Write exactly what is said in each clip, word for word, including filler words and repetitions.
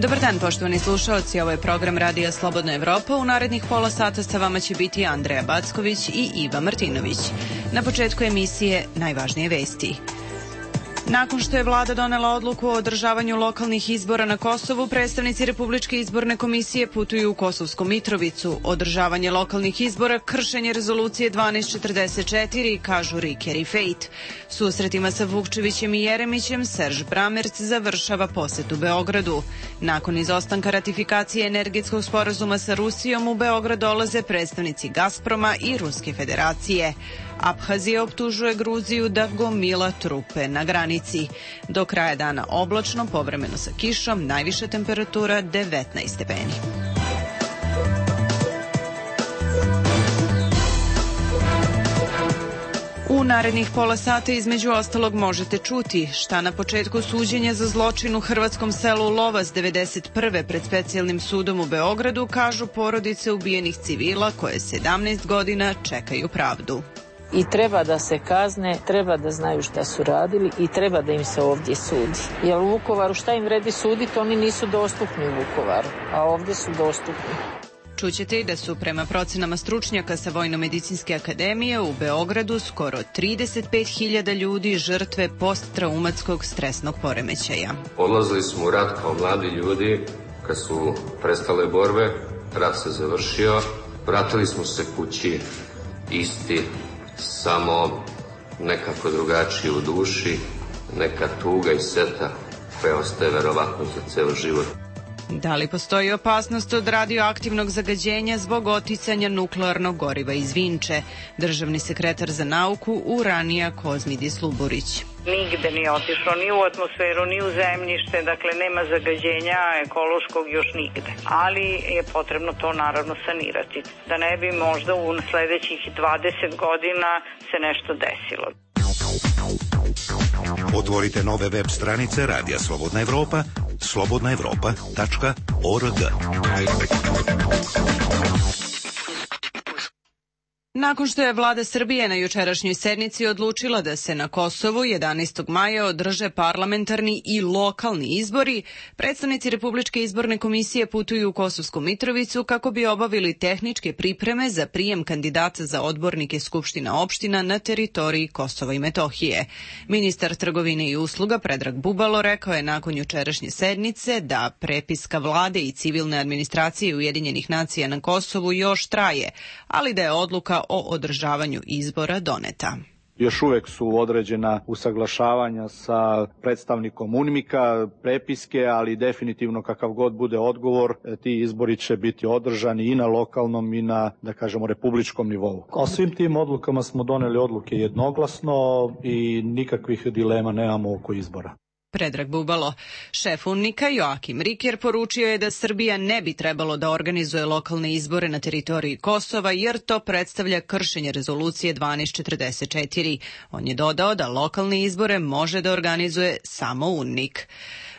Dobar dan, poštovani slušaoci, ovo je program Radija Slobodna Evropa. U narednih pola sata sa vama će biti Andreja Backović i Iva Martinović. Na početku emisije najvažnije vesti. Nakon što je vlada donela odluku o održavanju lokalnih izbora na Kosovu, predstavnici Republičke izborne komisije putuju u Kosovsku Mitrovicu. Održavanje lokalnih izbora, kršenje rezolucije dvanaest četrdeset četiri, kažu Riker i Fejt. Susretima sa Vukčevićem i Jeremićem, Serž Bramerc završava posetu Beogradu. Nakon izostanka ratifikacije energetskog sporazuma sa Rusijom, u Beograd dolaze predstavnici Gazproma i Ruske federacije. Abhazija optužuje Gruziju da gomila trupe na granici. Do kraja dana oblačno, povremeno sa kišom, najviša temperatura devetnaest stepeni. U narednih pola sata između ostalog možete čuti šta na početku suđenja za zločin u hrvatskom selu Lovas devedeset prve pred specijalnim sudom u Beogradu kažu porodice ubijenih civila koje sedamnaest godina čekaju pravdu. I treba da se kazne, treba da znaju šta su radili i treba da im se ovdje sudi. Jer u Vukovaru šta im vredi suditi, oni nisu dostupni u Vukovaru, a ovdje su dostupni. Čućete i da su prema procenama stručnjaka sa Vojno-medicinske akademije u Beogradu skoro trideset pet hiljada ljudi žrtve posttraumatskog stresnog poremećaja. Odlazili smo u rat kao mladi ljudi, kad su prestale borbe, rat se završio, vratili smo se kući isti, samo nekako drugačije u duši, neka tuga i seta koja ostaje verovatno za ceo život. Da li postoji opasnost od radioaktivnog zagađenja zbog oticanja nuklearnog goriva iz Vinče? Državni sekretar za nauku Uranija Kozmidis Luburić. Nigde nije otišlo, ni u atmosferu, ni u zemljište, dakle nema zagađenja ekološkog još nigde. Ali je potrebno to naravno sanirati, da ne bi možda u sledećih dvadeset godina se nešto desilo. Otvorite nove web stranice Radija Slobodna Evropa, slobodna evropa tačka org. Nakon što je vlada Srbije na jučerašnjoj sednici odlučila da se na Kosovu jedanaestog maja održe parlamentarni i lokalni izbori, predstavnici Republičke izborne komisije putuju u Kosovsku Mitrovicu kako bi obavili tehničke pripreme za prijem kandidata za odbornike Skupština opština na teritoriji Kosova i Metohije. Ministar trgovine i usluga Predrag Bubalo rekao je nakon jučerašnje sednice da prepiska vlade i civilne administracije Ujedinjenih nacija na Kosovu još traje, ali da je odluka o održavanju izbora doneta. Još uvek su određena usaglašavanja sa predstavnikom UNMIK-a, prepiske, ali definitivno kakav god bude odgovor, ti izbori će biti održani i na lokalnom i na, da kažemo, republičkom nivou. O svim tim odlukama smo doneli odluke jednoglasno i nikakvih dilema nemamo oko izbora. Predrag Bubalo. Šef UNMIK-a Joakim Riker poručio je da Srbija ne bi trebalo da organizuje lokalne izbore na teritoriji Kosova jer to predstavlja kršenje rezolucije dvanaest četrdeset četiri. On je dodao da lokalne izbore može da organizuje samo UNMIK.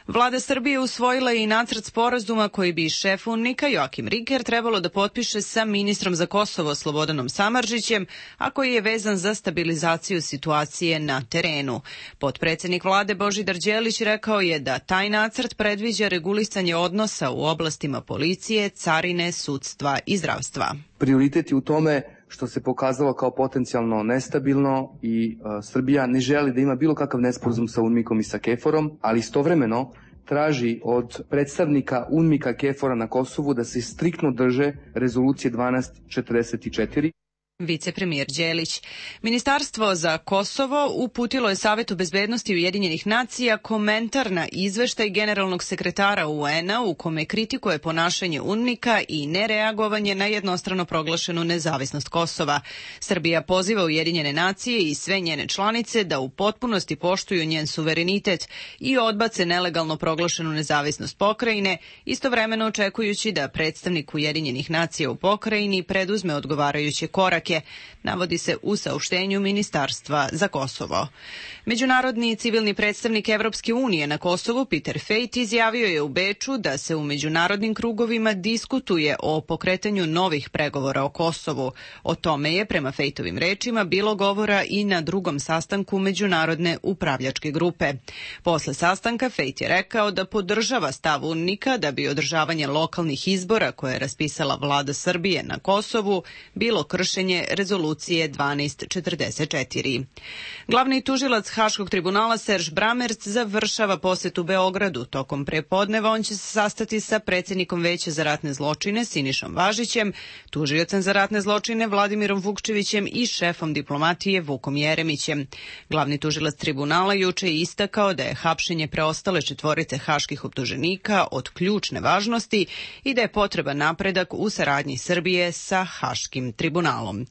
Vlada Srbije usvojila je i nacrt sporazuma koji bi šef UNMIK-a Joakim Riker trebalo da potpiše sa ministrom za Kosovo Slobodanom Samardžićem, a koji je vezan za stabilizaciju situacije na terenu. Potpredsednik vlade Božidar Đelić rekao je da taj nacrt predviđa regulisanje odnosa u oblastima policije, carine, sudstva i zdravstva. Prioritet je u tome što se pokazalo kao potencijalno nestabilno i uh, Srbija ne želi da ima bilo kakav nesporazum sa UNMIK-om i sa KFOR-om, ali istovremeno traži od predstavnika UNMIK-a KFOR-a na Kosovu da se striktno drže rezolucije dvanaest četrdeset četiri. Vicepremijer Đelić. Ministarstvo za Kosovo uputilo je Savetu bezbednosti Ujedinjenih nacija komentar na izveštaj generalnog sekretara U N-a u kome kritikuje ponašanje UNMIK-a i nereagovanje na jednostrano proglašenu nezavisnost Kosova. Srbija poziva Ujedinjene nacije i sve njene članice da u potpunosti poštuju njen suverenitet i odbace nelegalno proglašenu nezavisnost pokrajine, istovremeno očekujući da predstavnik Ujedinjenih nacija u pokrajini preduzme odgovarajuće korake energetike, navodi se u saopštenju Ministarstva za Kosovo. Međunarodni civilni predstavnik Evropske unije na Kosovu, Peter Fejt, izjavio je u Beču da se u međunarodnim krugovima diskutuje o pokretanju novih pregovora o Kosovu. O tome je, prema Fejtovim rečima, bilo govora i na drugom sastanku Međunarodne upravljačke grupe. Posle sastanka Fejt je rekao da podržava stav UNMIK-a da bi održavanje lokalnih izbora koje je raspisala vlada Srbije na Kosovu bilo kršenje rezolucije dvanaest četrdeset četiri. Glavni tužilac Haškog tribunala Serž Bramerc završava posetu Beogradu. Tokom prepodneva on će se sastati sa predsjednikom Veća za ratne zločine Sinišom Važićem, tužiocem za ratne zločine Vladimirom Vukčevićem i šefom diplomatije Vukom Jeremićem. Glavni tužilac tribunala juče je istakao da je hapšenje preostale četvorice haških optuženika od ključne važnosti i da je potreban napredak u saradnji Srbije sa Haškim tribunalom.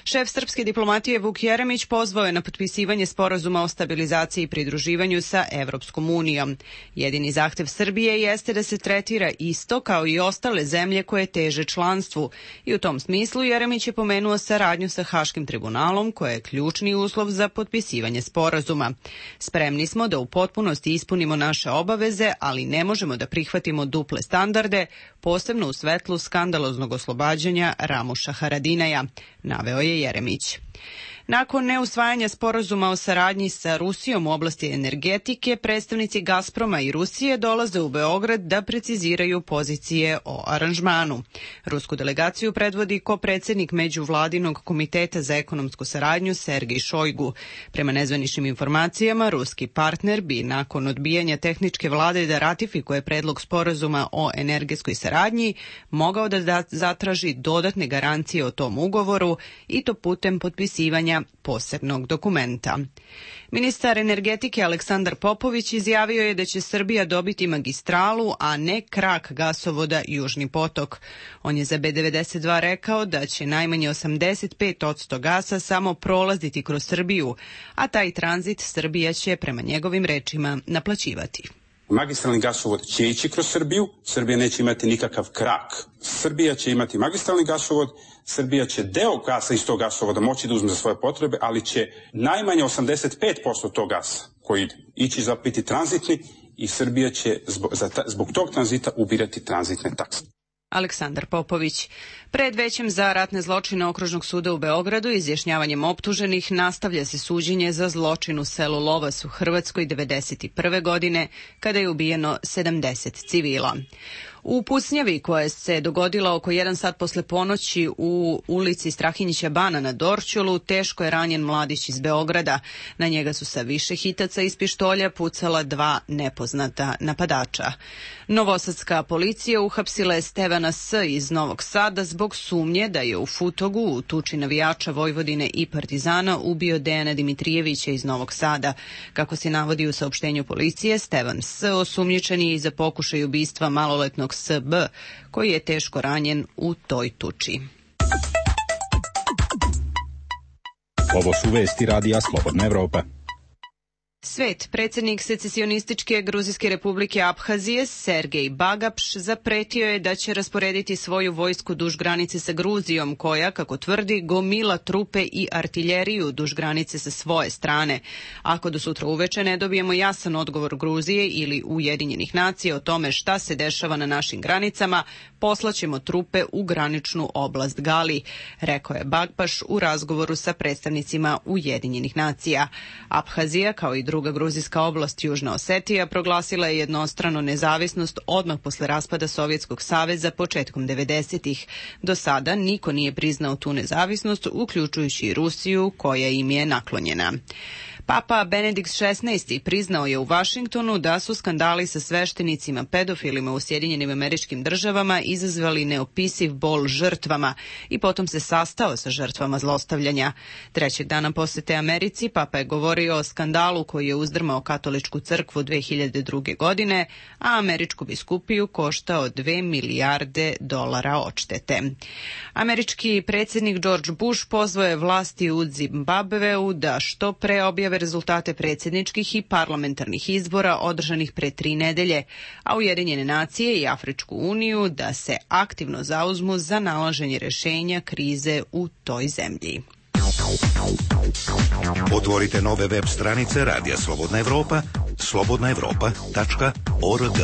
Šef srpske diplomatije Vuk Jeremić pozvao je na potpisivanje sporazuma o stabilizaciji i pridruživanju sa Evropskom unijom. Jedini zahtev Srbije jeste da se tretira isto kao i ostale zemlje koje teže članstvu i u tom smislu Jeremić je pomenuo saradnju sa Haškim tribunalom koja je ključni uslov za potpisivanje sporazuma. Spremni smo da u potpunosti ispunimo naše obaveze, ali ne možemo da prihvatimo duple standarde, posebno u svetlu skandaloznog oslobađanja Ramuša Haradinaja, naveo je Jeremić. Nakon neusvajanja sporazuma o saradnji sa Rusijom u oblasti energetike, predstavnici Gazproma i Rusije dolaze u Beograd da preciziraju pozicije o aranžmanu. Rusku delegaciju predvodi kopredsednik Međuvladinog komiteta za ekonomsku saradnju Sergej Šojgu. Prema nezvaničnim informacijama, ruski partner bi nakon odbijanja tehničke vlade da ratifikuje predlog sporazuma o energetskoj saradnji mogao da zatraži dodatne garancije o tom ugovoru i to putem potpisivanja posebnog dokumenta. Ministar energetike Aleksandar Popović izjavio je da će Srbija dobiti magistralu, a ne krak gasovoda Južni potok. On je za B devedeset dva rekao da će najmanje osamdeset pet posto gasa samo prolaziti kroz Srbiju, a taj tranzit Srbija će, prema njegovim rečima, naplaćivati. Magistralni gasovod će ići kroz Srbiju, Srbija neće imati nikakav krak. Srbija će imati magistralni gasovod, Srbija će deo gasa iz tog gasovoda moći da uzme za svoje potrebe, ali će najmanje osamdeset pet posto tog gasa koji ide ići za biti tranzitni i Srbija će zbog, za ta, zbog tog tranzita ubirati tranzitne takse. Aleksandar Popović. Pred Većem za ratne zločine Okružnog suda u Beogradu izjašnjavanjem optuženih nastavlja se suđenje za zločin u selu Lovas u Hrvatskoj devedeset prve godine, kada je ubijeno sedamdeset civila. U pucnjavi koja se dogodila oko jedan sat posle ponoći u ulici Strahinjića Bana na Dorćolu, teško je ranjen mladić iz Beograda. Na njega su sa više hitaca iz pištolja pucala dva nepoznata napadača. Novosadska policija uhapsila je Stevana S. iz Novog Sada zbog sumnje da je u Futogu, u tuči navijača Vojvodine i Partizana, ubio Dejana Dimitrijevića iz Novog Sada. Kako se navodi u saopštenju policije, Stevan S. osumnjičen je i za pokušaj ubistva maloletnog S B, koji je teško ranjen u toj tuči. Ovo su vesti radija Slobodna Evropa. Svet, predsjednik secesionističke Gruzijske republike Abhazije Sergej Bagapš zapretio je da će rasporediti svoju vojsku duž granice sa Gruzijom, koja, kako tvrdi, gomila trupe i artiljeriju duž granice sa svoje strane. Ako do sutra uveče ne dobijemo jasan odgovor Gruzije ili Ujedinjenih nacija o tome šta se dešava na našim granicama, poslaćemo trupe u graničnu oblast Gali, rekao je Bagapš u razgovoru sa predstavnicima Ujedinjenih nacija. Abhazija, kao i druga gruzijska oblast Južna Osetija, proglasila je jednostrano nezavisnost odmah posle raspada Sovjetskog saveza početkom devedesetih. Do sada niko nije priznao tu nezavisnost, uključujući i Rusiju, koja im je naklonjena. Papa Benedikt šesnaesti priznao je u Vašingtonu da su skandali sa sveštenicima pedofilima u Sjedinjenim Američkim Državama izazvali neopisiv bol žrtvama i potom se sastao sa žrtvama zlostavljanja. Trećeg dana posete Americi Papa je govorio o skandalu koji je uzdrmao katoličku crkvu dve hiljade druge. godine, a američku biskupiju koštao dve milijarde dolara odštete. Američki predsjednik George Bush pozvao je vlasti u Zimbabveu da što pre objave rezultate predsjedničkih i parlamentarnih izbora održanih pre tri nedelje, a Ujedinjene nacije i Afričku uniju da se aktivno zauzmu za nalaženje rešenja krize u toj zemlji. Otvorite nove web stranice Radija Slobodna Evropa, slobodna evropa tačka org.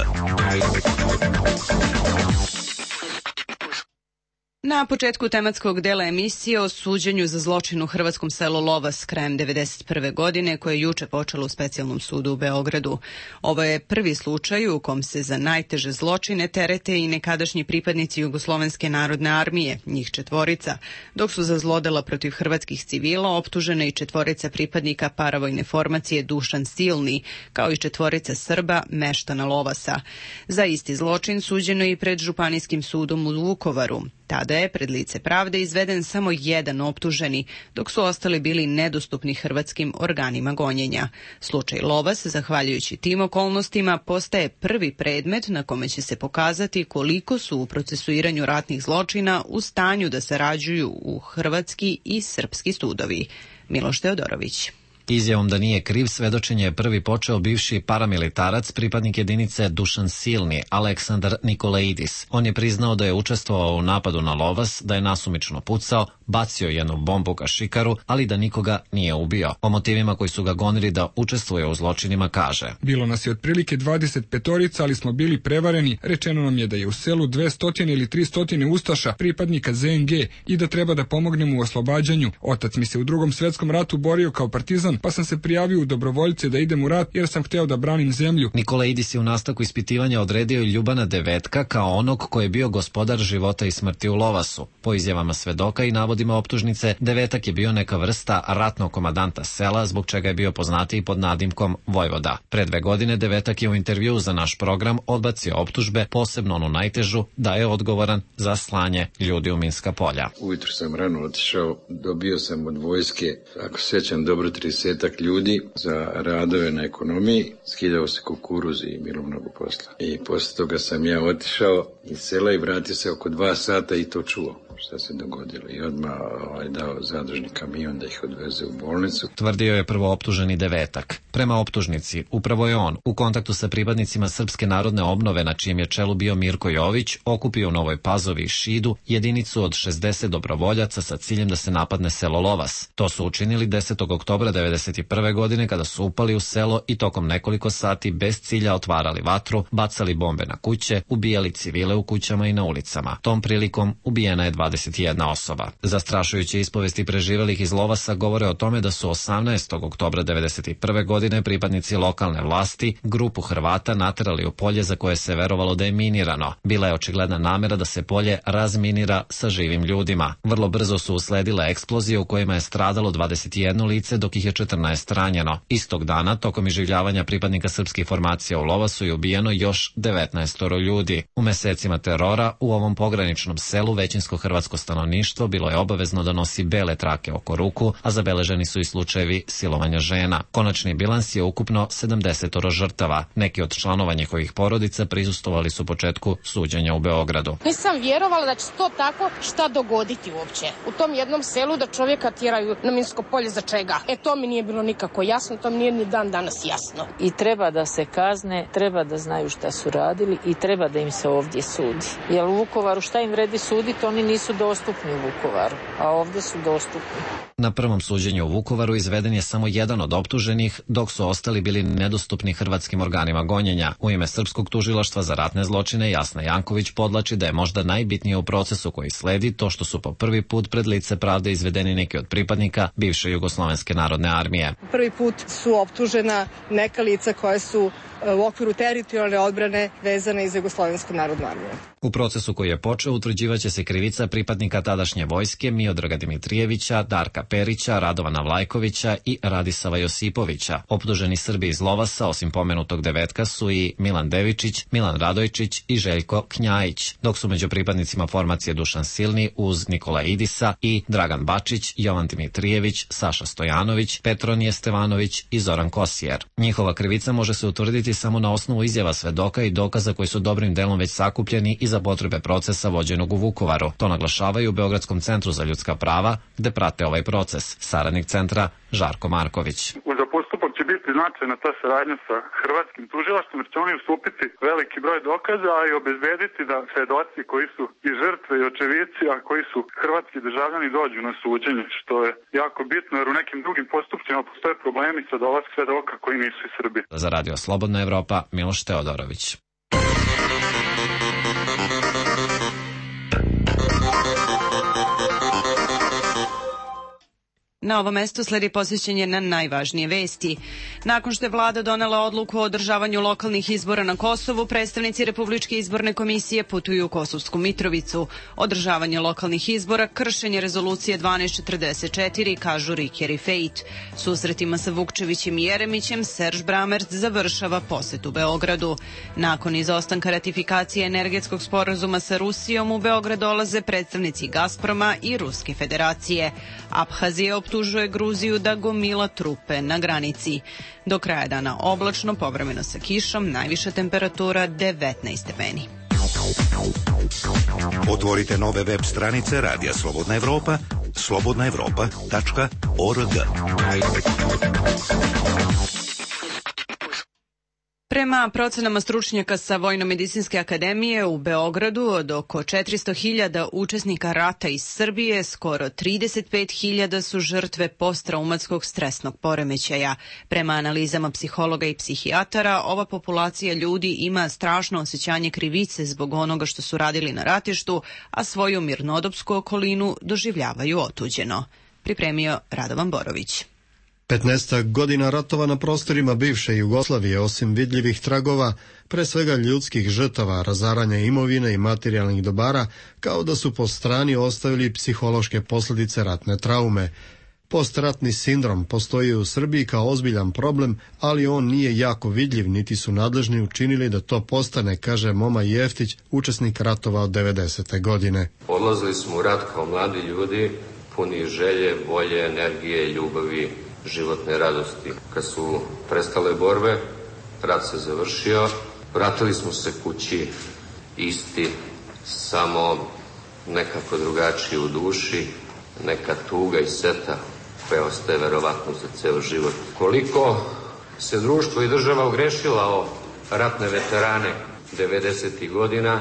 Na početku tematskog dela emisije o suđenju za zločin u hrvatskom selu Lovas krajem devedeset prve. godine, koje je juče počelo u specijalnom sudu u Beogradu. Ovo je prvi slučaj u kom se za najteže zločine terete i nekadašnji pripadnici Jugoslovenske narodne armije, njih četvorica, dok su za zlodela protiv hrvatskih civila optužene i četvorica pripadnika paravojne formacije Dušan Silni, kao i četvorica Srba meštana Lovasa. Za isti zločin suđeno i pred Županijskim sudom u Vukovaru. Tada je pred lice pravde izveden samo jedan optuženi, dok su ostali bili nedostupni hrvatskim organima gonjenja. Slučaj Lovas, zahvaljujući tim okolnostima, postaje prvi predmet na kome će se pokazati koliko su u procesuiranju ratnih zločina u stanju da sarađuju u hrvatski i srpski sudovi. Miloš Teodorović. Izjavom da nije kriv svedočenje je prvi počeo bivši paramilitarac, pripadnik jedinice Dušan Silni, Aleksandar Nikolaidis. On je priznao da je učestvovao u napadu na Lovas, da je nasumično pucao, bacio jednu bombu ka šikaru, ali da nikoga nije ubio. O motivima koji su ga gonili da učestvuje u zločinima kaže: Bilo nas je otprilike dvadeset petorica, ali smo bili prevareni. Rečeno nam je da je u selu dvesta ili trista ustaša, pripadnika Z N G, i da treba da pomognemo u oslobađanju. Otac mi se u Drugom svetskom ratu borio kao partizan, pa sam se prijavio u dobrovoljce da idem u rat jer sam hteo da branim zemlju. Nikolaidis je u nastavku ispitivanja odredio i Ljubana Devetka kao onog koji je bio gospodar života i smrti u Lovasu. Po izjavama svedoka i navodima optužnice, Devetak je bio neka vrsta ratnog komadanta sela, zbog čega je bio poznatiji pod nadimkom Vojvoda. Pre dve godine Devetak je u intervjuu za naš program odbacio optužbe, posebno onu najtežu, da je odgovoran za slanje ljudi u minska polja. Ujutro sam rano otišao, dobio sam od vojske, ako sećam dobro, tridesetak ljudi za radove na ekonomiji, skidao se kukuruz i bilo mnogo posla. I posle toga sam ja otišao iz sela i vratio se oko dva sata i to čuo šta se dogodilo i odmah ovaj, dao zadružni kamion da ih odveze u bolnicu. Tvrdio je prvo optuženi Devetak. Prema optužnici, upravo je on, u kontaktu sa pripadnicima Srpske narodne obnove, na čijem je čelu bio Mirko Jović, okupio u Novoj Pazovi i Šidu jedinicu od šezdeset dobrovoljaca sa ciljem da se napadne selo Lovas. To su učinili desetog oktobra devedeset prve. godine kada su upali u selo i tokom nekoliko sati bez cilja otvarali vatru, bacali bombe na kuće, ubijali civile u kućama i na ulicama. Tom prilikom ubijena je dvadeset jedna osoba. Zastrašujuće ispovesti preživelih iz Lovasa govore o tome da su osamnaestog oktobra devedeset prve. godine pripadnici lokalne vlasti grupu Hrvata naterali u polje za koje se verovalo da je minirano. Bila je očigledna namera da se polje razminira sa živim ljudima. Vrlo brzo su usledile eksplozije u kojima je stradalo dvadeset jedno lice, dok ih je četrnaest ranjeno. Istog dana, tokom iživljavanja pripadnika srpskih formacija u Lovasu, je ubijeno još devetnaest ljudi. U mesecima terora u ovom pograničnom selu većinsko hrvatsko stanovništvo bilo je obavezno da nosi bele trake oko ruku, a zabeleženi su i slučajevi silovanja žena. Konačni bilans je ukupno sedamdeset žrtava. Neki od članova njihovih porodica prisustvovali su početku suđenja u Beogradu. Nisam vjerovala da će to tako šta dogoditi uopće. U tom jednom selu da čovjeka tjeraju na minsko polje za čega? E to mi nije bilo nikako jasno, to mi nije ni dan danas jasno. I treba da se kazne, treba da znaju šta su radili i treba da im se ovdje sudi. Jer u Vukovaru šta im vredi suditi, oni nisu dostupni u Vukovaru, a ovdje su dostupni. Na prvom suđenju u Vukovaru izveden je samo jedan od optuženih, dok su ostali bili nedostupni hrvatskim organima gonjenja. U ime Srpskog tužilaštva za ratne zločine Jasna Janković podlači da je možda najbitnije u procesu koji sledi to što su po prvi put pred lice pravde izvedeni neki od pripadnika bivše Jugoslovenske narodne armije. Prvi put su optužena neka lica koja su u okviru teritorijalne odbrane vezane iz Jugoslovensku narodnu armiju. U procesu koji je počeo utvrđivaće se krivica pripadnika tadašnje vojske Miodraga Dimitrijevića, Darka Perića, Radovana Vlajkovića i Radisava Josipovića. Optuženi Srbi iz Lovasa, osim pomenutog Devetka, su i Milan Devičić, Milan Radojčić i Željko Knjajić, dok su među pripadnicima formacije Dušan Silni uz Nikolaidisa i Dragan Bačić, Jovan Dimitrijević, Saša Stojanović, Petronije Stevanović i Zoran Kosijer. Njihova krivica može se utvrditi samo na osnovu izjava svedoka i dokaza koji su dobrim delom već sakupljeni i za potrebe procesa vođenog u Vukovaru. To naglašavaju u Beogradskom centru za ljudska prava, gde prate ovaj proces. Saradnik centra Žarko Marković. Za biti značajna ta saradnja sa hrvatskim tužilaštvom, jer će oni ustupiti veliki broj dokaza, a i obezbediti da svedoci koji su i žrtve i očevici, a koji su hrvatski državljani, dođu na suđenje, što je jako bitno, jer u nekim drugim postupcima postoje problemi sa dolazak svedoka koji nisu iz Srbije. Za Radio Slobodna Evropa, Miloš Teodorović. Na ovom mestu sledi posvećenje na najvažnije vesti. Nakon što je vlada donela odluku o održavanju lokalnih izbora na Kosovu, predstavnici Republičke izborne komisije putuju u Kosovsku Mitrovicu. Održavanje lokalnih izbora, kršenje rezolucije dvanaest četrdeset četiri, kažu Riker i Fejt. Susretima sa Vukčevićem i Jeremićem, Serž Bramerc završava posetu Beogradu. Nakon izostanka ratifikacije energetskog sporazuma sa Rusijom, u Beograd dolaze predstavnici Gazproma i Ruske federacije. Abhazija optužuje Gruziju da gomila trupe na granici. Do kraja dana oblačno, povremeno sa kišom, najviša temperatura devetnaest stepeni. Otvorite nove web stranice Radija Slobodna Evropa, slobodna evropa tačka org. Prema procenama stručnjaka sa Vojno-medicinske akademije u Beogradu, od oko četiristo hiljada učesnika rata iz Srbije, skoro trideset pet hiljada su žrtve posttraumatskog stresnog poremećaja. Prema analizama psihologa i psihijatara, ova populacija ljudi ima strašno osjećanje krivice zbog onoga što su radili na ratištu, a svoju mirnodopsku okolinu doživljavaju otuđeno. Pripremio Radovan Borović. petnaestak godina ratova na prostorima bivše Jugoslavije, osim vidljivih tragova, pre svega ljudskih žrtava, razaranja imovine i materijalnih dobara, kao da su po strani ostavili psihološke posljedice ratne traume. Postratni sindrom postoji u Srbiji kao ozbiljan problem, ali on nije jako vidljiv, niti su nadležni učinili da to postane, kaže Moma Jeftić, učesnik ratova od devedesete godine. Odlazili smo u rat kao mladi ljudi, puni želje, volje, energije, ljubavi, životne radosti. Kad su prestale borbe, rat se završio, vratili smo se kući isti, samo nekako drugačiji u duši, neka tuga i seta koja ostaje verovatno za ceo život. Koliko se društvo i država ogrešila o ratne veterane devedesetih godina,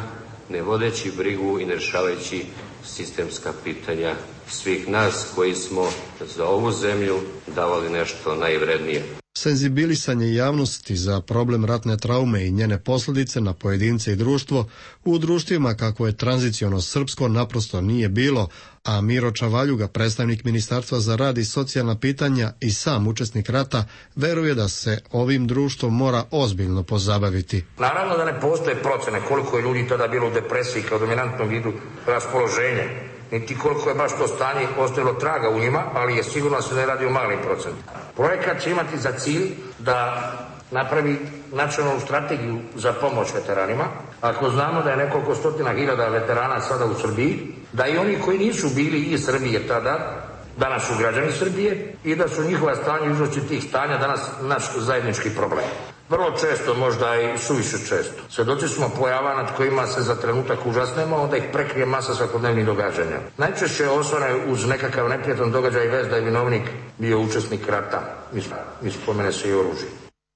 ne vodeći brigu i ne rešavajući sistemska pitanja svih nas koji smo za ovu zemlju davali nešto najvrednije. Senzibilisanje javnosti za problem ratne traume i njene posljedice na pojedince i društvo u društvima kako je tranziciono srpsko naprosto nije bilo, a Miro Čavaljuga, predstavnik Ministarstva za rad i socijalna pitanja i sam učesnik rata, veruje da se ovim društvom mora ozbiljno pozabaviti. Naravno da ne postoje procene koliko je ljudi tada bilo u depresiji kao dominantnom vidu raspoloženja, niti koliko je baš to stanje ostavilo traga u njima, ali je sigurno se ne radi o malim procentima. Projekat će imati za cilj da napravi nacionalnu strategiju za pomoć veteranima. Ako znamo da je nekoliko stotina hiljada veterana sada u Srbiji, da i oni koji nisu bili iz Srbije tada, danas su građani Srbije i da su njihova stanja, uzroci tih stanja danas naš zajednički problem. Vrlo često, možda i suviše često. Svedoci smo pojava nad kojima se za trenutak užasnemo, onda ih prekrije masa svakodnevnih događanja. Najčešće osvane uz nekakav neprijatan događaj vez da je vinovnik bio učesnik rata. Mi spomene se i oružje.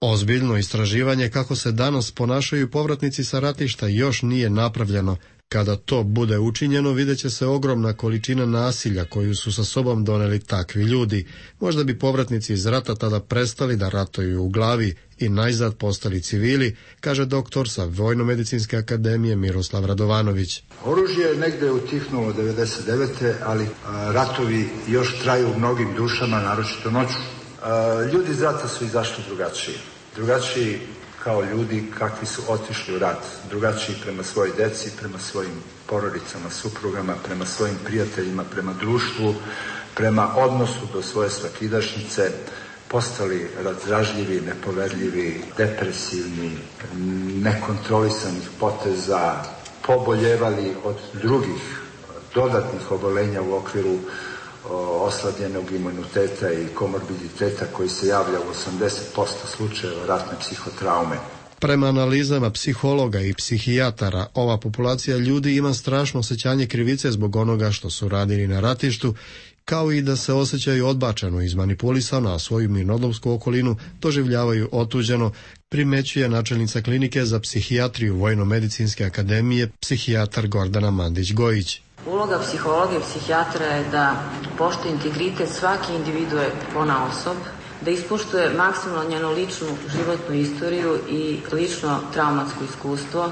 Ozbiljno istraživanje kako se danas ponašaju povratnici sa ratišta još nije napravljeno. Kada to bude učinjeno, vidjet će se ogromna količina nasilja koju su sa sobom doneli takvi ljudi. Možda bi povratnici iz rata tada prestali da ratuju u glavi i najzad postali civili, kaže doktor sa Vojno-medicinske akademije Miroslav Radovanović. Oružje je negde utihnulo devedeset devete a, ratovi još traju u mnogim dušama, naročito noću. A, ljudi iz rata su izašli drugačiji. Drugačiji kao ljudi kakvi su otišli u rat, drugačiji prema svojoj deci, prema svojim porodicama, suprugama, prema svojim prijateljima, prema društvu, prema odnosu do svoje svakidašnjice, postali razdražljivi, nepoverljivi, depresivni, nekontrolisanih poteza, poboljevali od drugih dodatnih obolenja u okviru oslabljenog imuniteta i komorbiditeta koji se javlja u osamdeset posto slučajeva ratne psihotraume. Prema analizama psihologa i psihijatara, ova populacija ljudi ima strašno osjećanje krivice zbog onoga što su radili na ratištu kao i da se osjećaju odbačeno, izmanipulisano, a svoju mirnodopsku okolinu doživljavaju otuđeno, primećuje načelnica klinike za psihijatriju Vojno-medicinske akademije, psihijatar Gordana Mandić-Gojić. Uloga psihologa i psihijatra je da poštuje integritet svake individue ponaosob, da ispoštuje maksimalno njenu ličnu životnu istoriju i lično traumatsko iskustvo,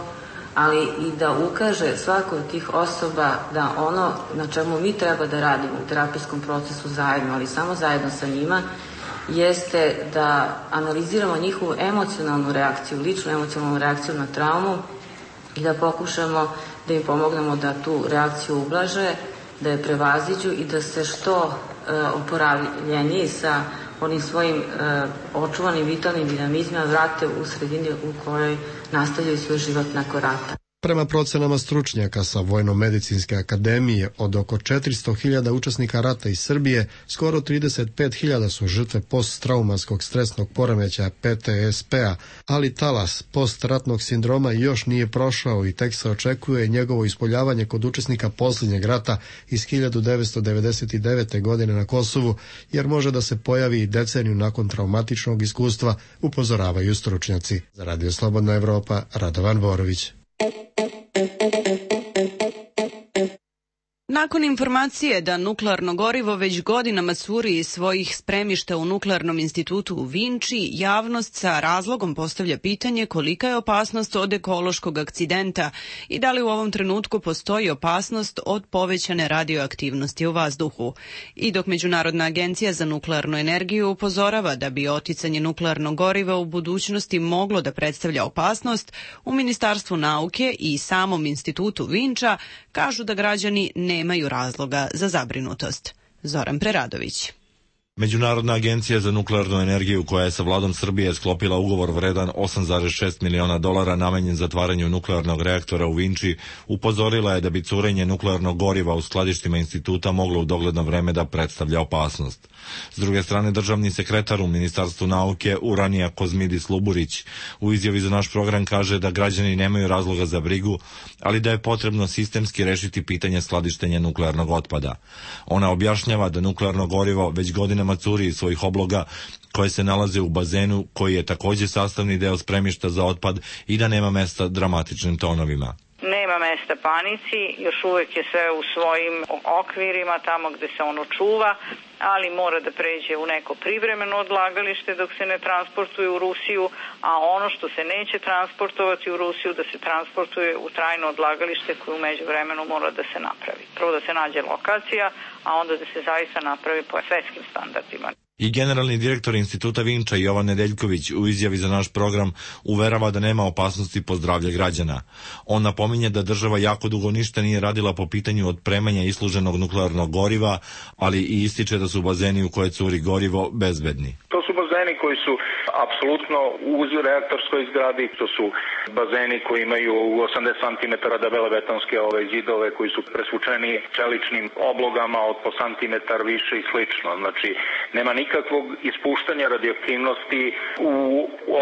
ali i da ukaže svakoj od tih osoba da ono na čemu mi treba da radimo u terapijskom procesu zajedno, ali samo zajedno sa njima, jeste da analiziramo njihovu emocionalnu reakciju, ličnu emocionalnu reakciju na traumu i da pokušamo da im pomognemo da tu reakciju ublaže, da je prevaziđu i da se što e, oporavljeniji sa onim svojim e, očuvanim vitalnim dinamizmima vrate u sredini u kojoj nastavljaju svoj život nakon rata. Prema procenama stručnjaka sa Vojno-medicinske akademije, od oko četiristo hiljada učesnika rata iz Srbije, skoro trideset pet hiljada su žrtve posttraumatskog stresnog poremećaja P T S P-a, ali talas postratnog sindroma još nije prošao i tek se očekuje njegovo ispoljavanje kod učesnika posljednjeg rata iz hiljadu devetsto devedeset devete. godine na Kosovu, jer može da se pojavi i deceniju nakon traumatičnog iskustva, upozoravaju stručnjaci. Za Radio Slobodna Evropa, Radovan Borović. Nakon informacije da nuklearno gorivo već godinama curi iz svojih spremišta u Nuklearnom institutu u Vinči, javnost sa razlogom postavlja pitanje kolika je opasnost od ekološkog akcidenta i da li u ovom trenutku postoji opasnost od povećane radioaktivnosti u vazduhu. I dok Međunarodna agencija za nuklearnu energiju upozorava da bi oticanje nuklearnog goriva u budućnosti moglo da predstavlja opasnost, u Ministarstvu nauke i samom institutu Vinča kažu da građani ne nemaju razloga za zabrinutost. Zoran Preradović. Međunarodna agencija za nuklearnu energiju, koja je sa vladom Srbije sklopila ugovor vredan osam zarez šest miliona dolara namenjen zatvaranju nuklearnog reaktora u Vinči, upozorila je da bi curenje nuklearnog goriva u skladištima instituta moglo u dogledno vreme da predstavlja opasnost. S druge strane, državni sekretar u Ministarstvu nauke Uranija Kozmidis Luburić u izjavi za naš program kaže da građani nemaju razloga za brigu, ali da je potrebno sistemski rešiti pitanje skladištenja nuklearnog otpada. Ona objašnjava da nuklearno gorivo već godinama curi iz svojih obloga koje se nalaze u bazenu, koji je takođe sastavni deo spremišta za otpad, i da nema mesta dramatičnim tonovima. Nema mesta panici, još uvek je sve u svojim okvirima tamo gde se ono čuva, ali mora da pređe u neko privremeno odlagalište dok se ne transportuje u Rusiju, a ono što se neće transportovati u Rusiju da se transportuje u trajno odlagalište koje u međuvremenu mora da se napravi. Prvo da se nađe lokacija, a onda da se zaista napravi po svetskim standardima. I generalni direktor instituta Vinča Jovan Nedeljković u izjavi za naš program uverava da nema opasnosti po zdravlje građana. On napominje da država jako dugo ništa nije radila po pitanju otpremanja isluženog nuklearnog goriva, ali i ističe da su bazeni u koje curi gorivo bezbedni. To su bazeni koji su apsolutno uz reaktorskoj zgradi, to su bazeni koji imaju osamdeset centimetara debele betonske ove zidove koji su presvučeni čeličnim oblogama od po santimetar više i slično. Znači, nema nikakvog ispuštanja radioaktivnosti u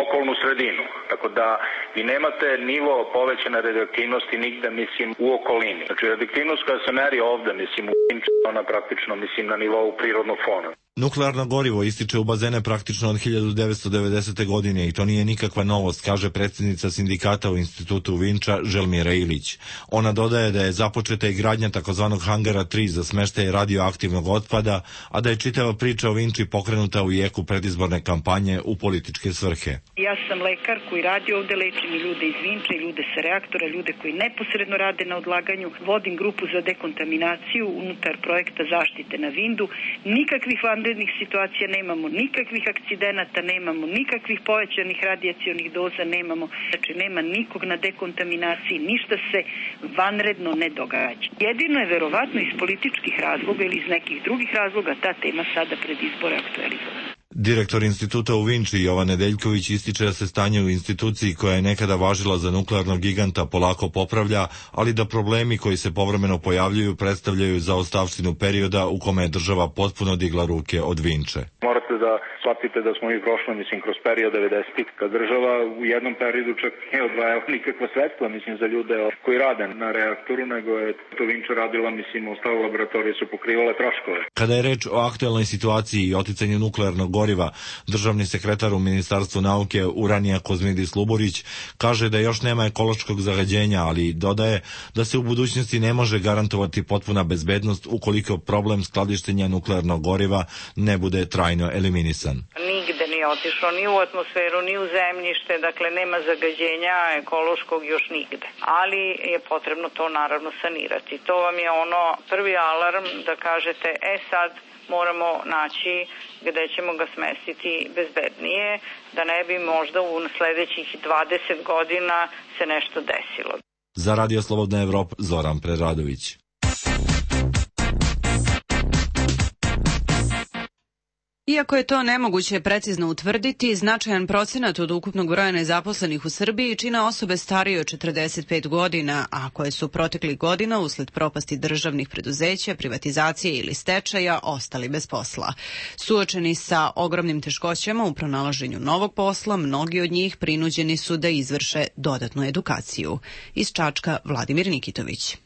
okolnu sredinu. Tako da vi nemate nivo povećane radioaktivnosti nigde, mislim, u okolini. Znači, radioaktivnost koja se meri ovde, mislim, u Vinči, ona praktično, mislim, na nivou prirodnog fona. Nuklearno gorivo ističe u bazene praktično od hiljadu devetsto devedesete. godine i to nije nikakva novost, kaže predsjednica sindikata u institutu Vinča Želmira Ilić. Ona dodaje da je započeta i gradnja takozvanog hangara tri za smeštaj radioaktivnog otpada, a da je čitava priča o Vinči pokrenuta u jeku predizborne kampanje u političke svrhe. Ja sam lekar koji radi ovde, lečim i ljude iz Vinče, i ljude sa reaktora, ljude koji neposredno rade na odlaganju. Vodim grupu za dekontaminaciju unutar projekta zaštite na Vindu. Nikakvih vanrednih situacija nemamo, nikakvih akcidenata nemamo, nikakvih povećanih radijacionih doza nemamo. Znači, nema nikog na dekontaminaciji, ništa se vanredno ne događa. Jedino je verovatno iz političkih razloga ili iz nekih drugih razloga ta tema sada pred izbore aktualizovana. Direktor instituta u Vinči Jovan Nedeljković ističe da se stanje u instituciji koja je nekada važila za nuklearnog giganta polako popravlja, ali da problemi koji se povremeno pojavljuju predstavljaju zaostavštinu perioda u kome je država potpuno digla ruke od Vinče. Morate da shvatite da smo mi prošli, mislim, kroz period devedesetih, kad država u jednom periodu čak nije odvajala nikakva sredstva, mislim, za ljude koji rade na reaktoru, nego je to Vinča radila, mislim, ostale laboratorije su pokrivale troškove. Kada je reč o aktuelnoj situaciji i oticanju nuklearnog goriva, državni sekretar u Ministarstvu nauke Uranija Kozmidis Luburić kaže da još nema ekološkog zagađenja, ali dodaje da se u budućnosti ne može garantovati potpuna bezbednost ukoliko problem skladištenja nuklearnog goriva ne bude trajno eliminisan. Nigde nije otišlo, ni u atmosferu, ni u zemljište, dakle nema zagađenja ekološkog još nigde. Ali je potrebno to naravno sanirati. To vam je ono prvi alarm da kažete, e sad moramo naći gde ćemo ga smestiti bezbednije, da ne bi možda u sledećih dvadeset godina se nešto desilo. Za Radio Slobodna Evropa, Zoran Preradović. Iako je to nemoguće precizno utvrditi, značajan procenat od ukupnog broja nezaposlenih u Srbiji čine osobe starije od četrdeset pet godina, a koje su proteklih godina usled propasti državnih preduzeća, privatizacije ili stečaja ostali bez posla. Suočeni sa ogromnim teškoćama u pronalaženju novog posla, mnogi od njih prinuđeni su da izvrše dodatnu edukaciju. Iz Čačka Vladimir Nikitović.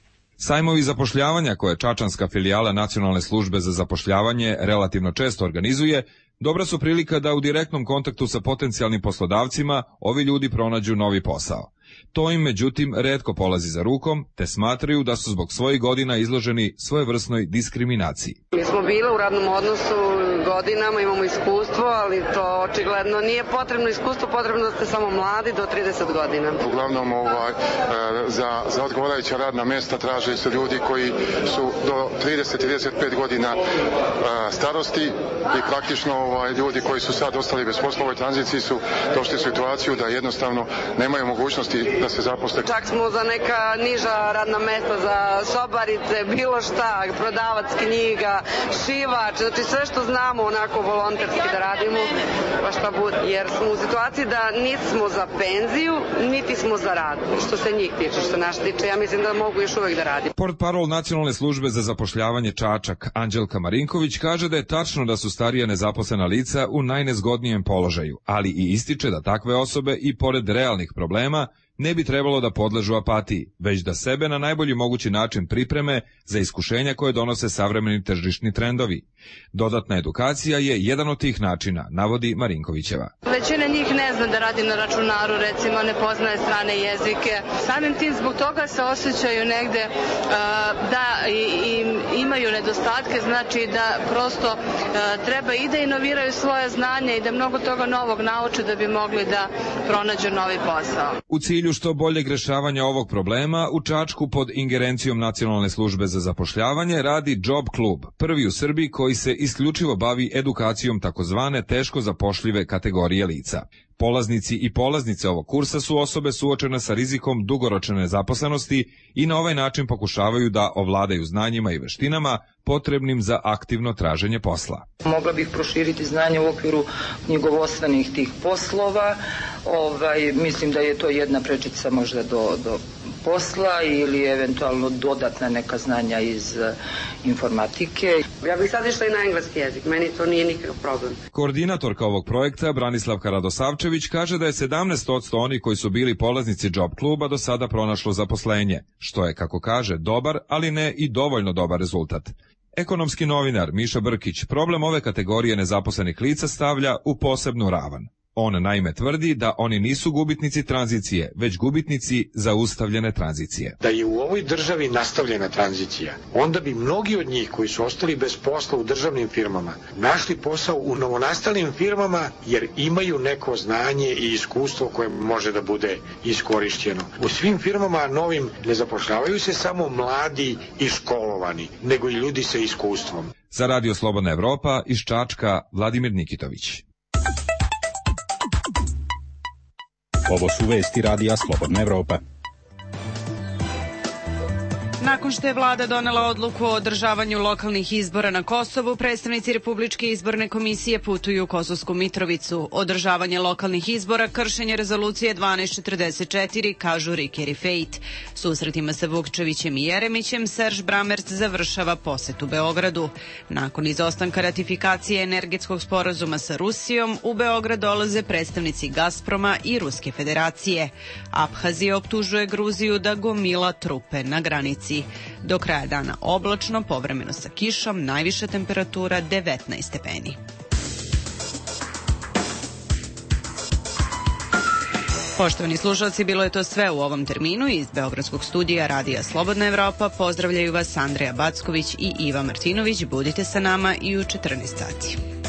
Sajmovi zapošljavanja koje čačanska filijala Nacionalne službe za zapošljavanje relativno često organizuje, dobra su prilika da u direktnom kontaktu sa potencijalnim poslodavcima ovi ljudi pronađu novi posao. To im, međutim, retko polazi za rukom, te smatraju da su zbog svojih godina izloženi svojevrsnoj diskriminaciji. Mi smo bile u radnom odnosu godinama, imamo iskustvo, ali to očigledno nije potrebno iskustvo, potrebno da ste samo mladi do trideset godina. Uglavnom ovaj, za, za odgovarajuća radna mesta traže se ljudi koji su do trideset do trideset pet godina starosti i praktično ovaj, ljudi koji su sad ostali bez posla u ovoj tranziciji su došli u situaciju da jednostavno nemaju mogućnosti da se zaposle. Čak smo za neka niža radna mesta, za sobarice, bilo šta, prodavac knjiga, šivač, znači sve što znamo onako volonterski da radimo, pa šta bude. Jer smo u situaciji da nismo za penziju, niti smo za rad. Što se njih tiče, što naš tiče, ja mislim da mogu još uvek da radim. Portparol Nacionalne službe za zapošljavanje Čačak, Anđelka Marinković, kaže da je tačno da su starija nezaposlena lica u najnezgodnijem položaju, ali i ističe da takve osobe i pored realnih problema ne bi trebalo da podležu apatiji, već da sebe na najbolji mogući način pripreme za iskušenja koje donose savremeni tržišni trendovi. Dodatna edukacija je jedan od tih načina, navodi Marinkovićeva. Većina njih ne zna da radi na računaru, recimo ne poznaje strane jezike. Samim tim zbog toga se osjećaju negde uh, da i, i imaju nedostatke, znači da prosto uh, treba i da inoviraju svoje znanje i da mnogo toga novog nauče da bi mogli da pronađu novi posao. U cilju što boljeg rešavanja ovog problema, u Čačku pod ingerencijom Nacionalne službe za zapošljavanje radi Job klub, prvi u Srbiji koji se isključivo bavi edukacijom takozvane teško zapošljive kategorije lica. Polaznici i polaznice ovog kursa su osobe suočene sa rizikom dugoročne nezaposlenosti i na ovaj način pokušavaju da ovladaju znanjima i veštinama potrebnim za aktivno traženje posla. Mogla bih proširiti znanje u okviru knjigovodstvenih tih poslova. Ovaj, mislim da je to jedna prečica možda do, do posla ili eventualno dodatna neka znanja iz uh, informatike. Ja bih sad išla i na engleski jezik, meni to nije nikakav problem. Koordinatorka ovog projekta, Branislavka Radosavčević, kaže da je sedamnaest posto oni koji su bili polaznici Job kluba do sada pronašlo zaposlenje, što je, kako kaže, dobar, ali ne i dovoljno dobar rezultat. Ekonomski novinar Miša Brkić problem ove kategorije nezaposlenih lica stavlja u posebnu ravan. On naime tvrdi da oni nisu gubitnici tranzicije, već gubitnici zaustavljene tranzicije. Da je u ovoj državi nastavljena tranzicija, onda bi mnogi od njih koji su ostali bez posla u državnim firmama našli posao u novonastalim firmama jer imaju neko znanje i iskustvo koje može da bude iskorišćeno. U svim firmama novim ne zapošljavaju se samo mladi i školovani, nego i ljudi sa iskustvom. Za Radio Slobodna Evropa iz Čačka Vladimir Nikitović. Ovo su vesti Radija Slobodna Evropa. Nakon što je vlada donela odluku o održavanju lokalnih izbora na Kosovu, predstavnici Republičke izborne komisije putuju u Kosovsku Mitrovicu. Održavanje lokalnih izbora, kršenje rezolucije dvanaest četrdeset četiri, kažu Riker i Fejt. Susretima sa Vukčevićem i Jeremićem, Serž Bramerc završava posetu Beogradu. Nakon izostanka ratifikacije energetskog sporazuma sa Rusijom, u Beograd dolaze predstavnici Gazproma i Ruske federacije. Abhazija optužuje Gruziju da gomila trupe na granici. Do kraja dana oblačno, povremeno sa kišom, najviša temperatura devetnaest stepeni. Poštovani slušalci, bilo je to sve u ovom terminu. Iz Beogradskog studija Radija Slobodna Evropa pozdravljaju vas Andreja Backović i Iva Martinović. Budite sa nama i u četrnaest sati.